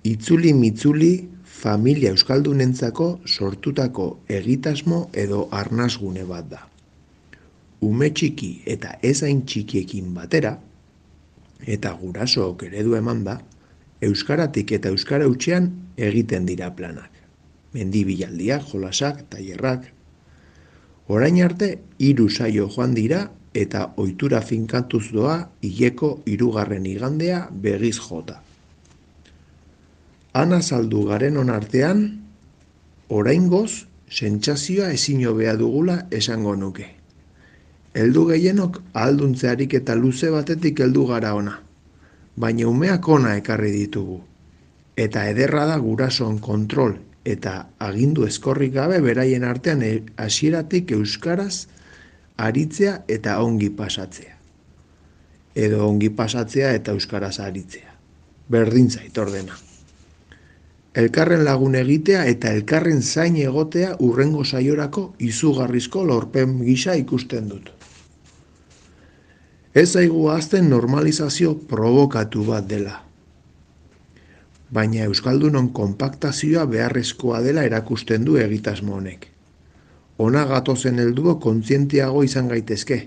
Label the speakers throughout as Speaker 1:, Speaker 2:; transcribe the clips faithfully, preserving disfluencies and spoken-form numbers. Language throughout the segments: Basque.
Speaker 1: Itzuli mitzuli familia euskaldunentzako sortutako egitasmo edo arnasgune bat da. Ume txiki eta ez hain txikiekin batera, eta gurasook eredu emanda, euskaratik eta euskara hutsean egiten dira planak. Mendibilaldiak, jolasak, tailerrak. Orain arte, hiru saio joan dira eta ohitura finkatuz doa hileko hirugarren igandea begiz jota. Han azaldu garenon artean, oraingoz, sentsazioa ezin hobea dugula esango nuke. Heldu gehienok ahalduntze ariketa luze batetik heldu gara ona, baina umeak ona ekarri ditugu. Eta ederra da gurasoen kontrol eta agindu ezkorrik gabe beraien artean hasieratik euskaraz aritzea eta ongi pasatzea. Edo ongi pasatzea eta euskaraz aritzea. Berdin zait ordena. Elkarren lagun egitea eta elkarren zain egotea hurrengo saiorako izugarrizko lorpen gisa ikusten dut. Ez zaigu ahazten normalizazio probokatu bat dela. Baina euskaldunon konpaktazioa beharrezkoa dela erakusten du egitasmo honek. Ona gatozen helduo kontzientiago izan gaitezke,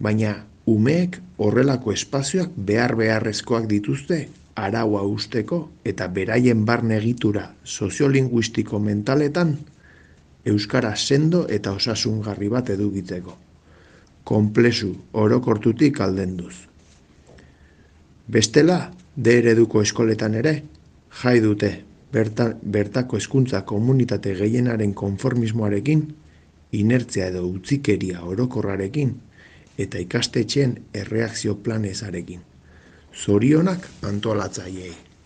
Speaker 1: baina umeek horrelako espazioak behar beharrezkoak dituzte araua usteko eta beraien barne egitura soziolinguistiko mentaletan euskara sendo eta osasungarri bat edukitzeko. Konplexu orokortutik aldenduz. Bestela, D ereduko eskoletan ere, jai dute berta, bertako hezkuntza komunitate gehienaren konformismoarekin, inertzia edo utzikeria orokorrarekin eta ikastetxeen erreakzio planezarekin. Zorionak antolatzaileei.